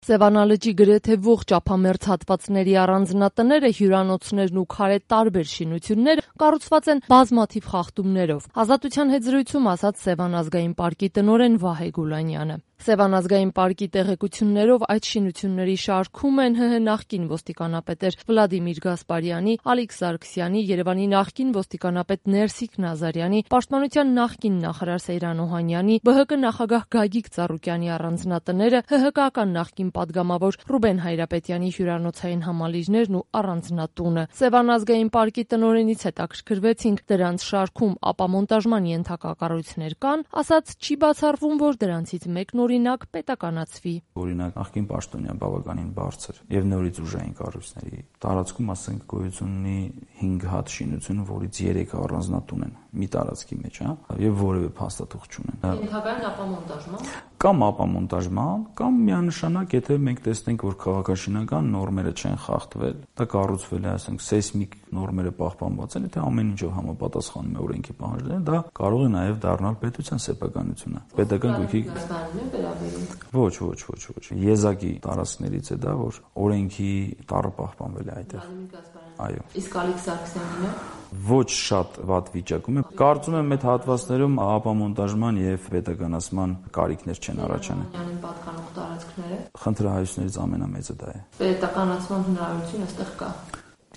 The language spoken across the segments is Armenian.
Սևանա լճի գրեթե ողջ ափամերձ հատվածների առանձնատները, հյուրանոցներն ու քարե տարբեր շինությունները կառուցված են բազմաթիվ խախտումներով։ Ազատության հետ զրույցում ասաց Սևան ազգային պարկի տնօրեն Վահե Գուլանյանը։ Սևան ազգային պարկի տեղեկություններով այդ շինությունների շարքում են ՀՀ նախկին ոստիկանապետեր Վլադիմիր Գասպարյանի, Ալիք Սարգսյանի, Երևանի նախկին ոստիկանապետ Ներսիկ Նազարյանի, Պաշտպանության նախկին նախարար Սեյրան Օհանյանի, ԲՀԿ նախագահ Գագիկ Ծառուկյանի առանձնատները, ՀՀԿ-ական նախկին պատգամավոր Ռուբեն Հայրապետյանի հյուրանոցային համալիրներն ու առանձնատունը։ Սևան ազգային պարկի տնօրենից հետաքրքրվեցինք դրանց շարքում ապամոնտաժման ենթակա կառույցներ կան, ասաց չի բացառվում, որ դրանցից մեկն օրինակ պետականացվի։ Օրինակ նախկին պաշտոնյա բավականին բարձր եւ նորից ուժային կառույցների տարածքում, ասենք, գոյություն ունի 5 հատ շինություն, որից 3 առանձնատուն են մի տարածքի մեջ, եւ որևէ փաստաթուղթ չունեն։ Ենթակային ապամոնտաժման կամ ապամոնտաժման, կամ միանշանակ, եթե մենք տեսնենք, որ քաղաքաշինական նորմերը չեն խախտվել, դա կառուցվել է, ասենք, սեյսմիկ նորմերը պահպանված են, եթե ամեն ինչով համապատասխանում է օրենքի պահանջներին, դա կարող է նաեւ դառնալ պետության սեփականությունը։ Պետական գույքի Ոչ։ Եզակի տարածքներից է դա, որ օրենքի տառը պահպանվել է այդտեղ։ Այո։ Իսկ Ալիք Սարգսյանինը ոչ շատ վատ վիճակում է։ Կարծում եմ այդ հատվածներում ապամոնտաժման եւ պետականացման կարիքներ չեն առաջանում։ Պատկանող տարածքները Խնդրահայություններից ամենամեծը դա է։ Պետականացման հնարավորություն այստեղ կա։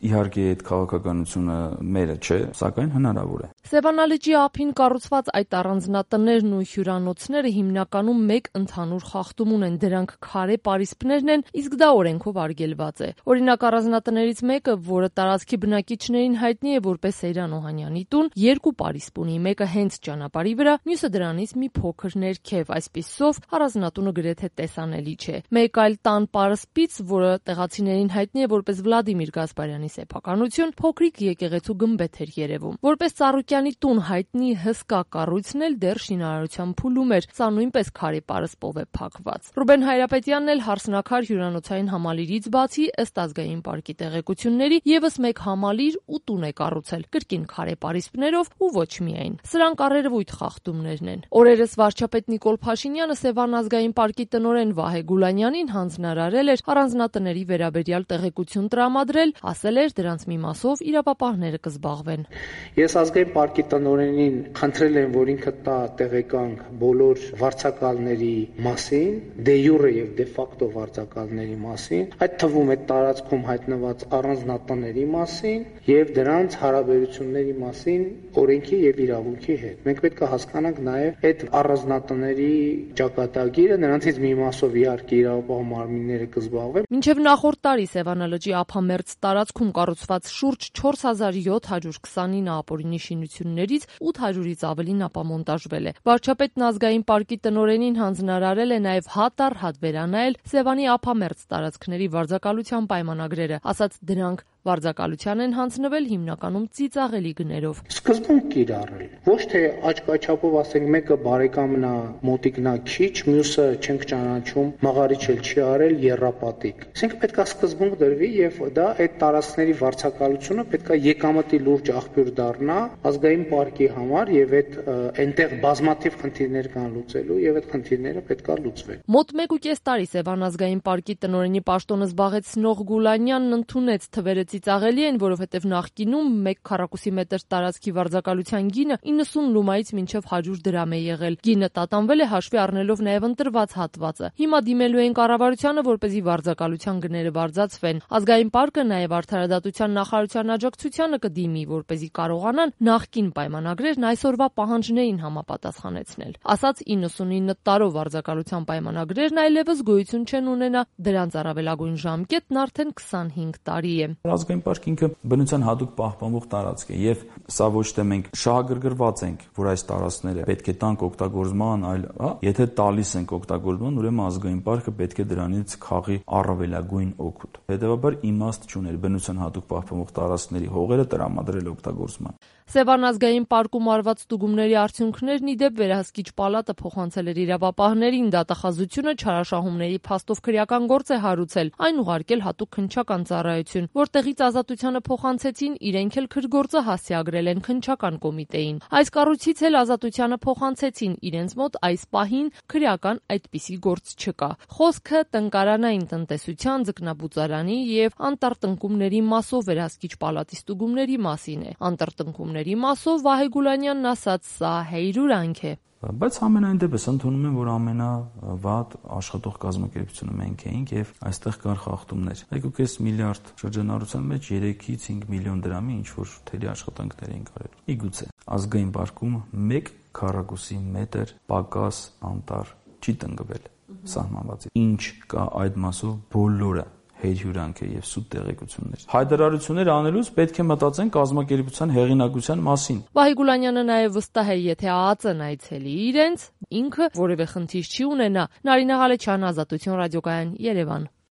Իհարկե այդ քաղաքականությունը մերը չէ, սակայն հնարավոր է։ Սևանա լճի ափին կառուցված այդ առանձնատներն ու հյուրանոցները հիմնականում մեկ ընդհանուր խախտում ունեն, դրանք քարե պարիսպներն են, իսկ դա օրենքով արգելված է։ Օրինակ առանձնատներից մեկը, որը տարածքի բնակիչներին հայտնի է որպես Սեյրան Օհանյանի տուն, 2 պարիսպ ունի, մեկը հենց ճանապարհի վրա, մյուսը դրանից մի փոքր ներքև, այսպիսով առանձնատունը գրեթե տեսանելի չէ։ Մեկ այլ տան պարսպից, որը տեղացիներին հայտնի է որպես Վլադիմիր Գասպարյանի սեփականություն, փոքրիկ եկեղեցու գմբեթ էր երևում։ Որպես Ծառուկյանի տուն հայտնի հսկա կառույցն էլ դեռ շինարարության փուլում էր, սա նույնպես քարե պարսպով է փակված։ Ռուբեն Հայրապետյանն էլ հարսնաքար հյուրանոցային համալիրից բացի, ըստ ազգային պարկի տեղեկությունների, եւս մեկ համալիր ու տուն է կառուցել, կրկին քարե պարիսպներով ու ոչ միայն։ Սրանք առերևույթ խախտումներն են։ Օրերս վարչապետ Նիկոլ Փաշինյանը Սևան ազգային պարկի տնօրեն Վահե Գուլանյանին հանձնարարել էր առանձնատների վերաբերյալ տեղեկություն տրամադրել, ասել դրանց մի մասով իրավապահները կզբաղվեն։ Ես ազգային պարկի տնօրենին խնդրել եմ, որ ինքը տա տեղեկանք բոլոր վարձակալների մասին, դե յուրե եւ դե ֆակտո վարձակալների մասին, այդ թվում այդ տարածքում հայտնված առանձնատների մասին եւ դրանց հարաբերությունների մասին օրենքի եւ իրավունքի հետ։ Մենք պետք է հասկանանք նաեւ այդ առանձնատների ճակատագիրը, նրանցից մի մասով իհարկե իրավապահ մարմինները կզբաղվեն։ Մինչև նախորդ տարի Սևանա լճի ափամերձ տարածքում կառուցված շուրջ 4729 ապօրինի շինություններից 800-ից ավելին ապամոնտաժվել է։ Վարչապետն ազգային պարկի տնօրենին հանձնարարել է նաև հատ առ հատ վերանայել Սևանի ափամերձ տարածքների վարձակալության պայմանագրերը, ասաց դրանք վարձակալության են հանձնվել հիմնականում ծիծաղելի գներով։ Սկզբում կիրառել, ոչ թե աչքաչափով ասենք մեկը բարեկամն է, մոտիկն է քիչ, մյուսը չենք ճանաչում, մաղարիչ էլ չի արել, եռապատիկ։ Այսինքն պետք է սկզբում դրվի եւ դա այդ տարածքների վարձակալությունը պետք է եկամտի լուրջ աղբյուր դառնա ազգային պարկի համար եւ այդ այնտեղ բազմաթիվ խնդիրներ կան լուծելու եւ այդ խնդիրները պետք է լուծվեն։ Մոտ 1.5 տարի Սևան ազգային պարկի տնօրենի պաշտոնը զբաղեցնող Գուլանյանն ընդունեց թվերը ծիծաղելի են, որովհետև նախկինում 1 քառակուսի մետր տարածքի վարձակալության գինը 90 լումայից մինչև 100 դրամ է եղել։ Գինը տատանվել է հաշվի առնելով նաև ընտրված հատվածը։ Հիմա դիմելու են կառավարությանը, որպեսզի վարձակալության գները բարձրացվեն։ Ազգային պարկը նաև արդարադատության նախարարության աջակցությանը կդիմի, որպեսզի կարողանան նախկին պայմանագրերն այսօրվա պահանջներին համապատասխանեցնել։ Ասաց 99 տարով վարձակալության պայմանագրերն այլևս գոյություն չեն ունենա, դրանց առավելագույն ժամկետն արդեն 25 տարի է։ Ազգային պարկը ինքը բնության հատուկ պահպանվող տարածք է եւ սա ոչ թե մենք շահագրգռված ենք, որ այս տարածքները պետք է տանք օգտագործման, այլ եթե տալիս ենք օգտագործման, ուրեմն ազգային պարկը պետք է դրանից քաղի առավելագույն օգուտ։ Հետևաբար իմաստ չուներ բնության հատուկ պահպանվող տարածքների հողերը տրամադրել օգտագործման։ Սևան ազգային պարկում արված ստուգումների արդյունքներն ի դեպ վերահսկիչ պալատը փոխանցել էր իրավապահներին, դատախազությունը չարաշահումների փաստով քրեական գործ է հարուցել, այն ուղարկել հատուկ քննչական ծառայություն, որտեղից կառույց Ազատությանը փոխանցեցին, իրենք էլ քրգործը հասցեագրել են քննչական կոմիտեին։ Այս կառույցից էլ Ազատությանը փոխանցեցին, իրենց մոտ այս պահին քրեական այդպիսի գործ չկա։ Խոսքը տնկարանային տնտեսության, ձկնաբուծարանի եւ անտառտնկումների մասով վերահսկիչ պալատի ստուգումների մասին է։ Անտառտնկումների մասով Վահե Գուլանյանն ասաց, սա հեյրուրանք է։ Բայց ամենայն դեպս ընդունում եմ, որ ամենավատ աշխատող կազմակերպությունը մենք էինք եւ այստեղ կար խախտումներ։ 1.5 միլիարդ շրջանառության մեջ 3-ից 5 միլիոն դրամի ինչ որ թերի աշխատանքներ էին կարել։ Իգուցե ազգային բարկում 1 քառակուսի մետր պակաս անտառ չի տնկվել սահմանվածից։ Ինչ կա այդ մասով բոլորը հեյրյուրանք է եւ սուտ տեղեկություններ։ Հայտարարություններ անելուց պետք է մտածեն կազմակերպության հեղինակության մասին։ Վահե Գուլանյանը նաեւ վստահ է, եթե ԱԱԾ-ն այցելի իրենց, ինքը որևէ խնդիր չի ունենա։ Նարինե Ղալեչյան, Ազատություն ռադիոկայան, Երևան։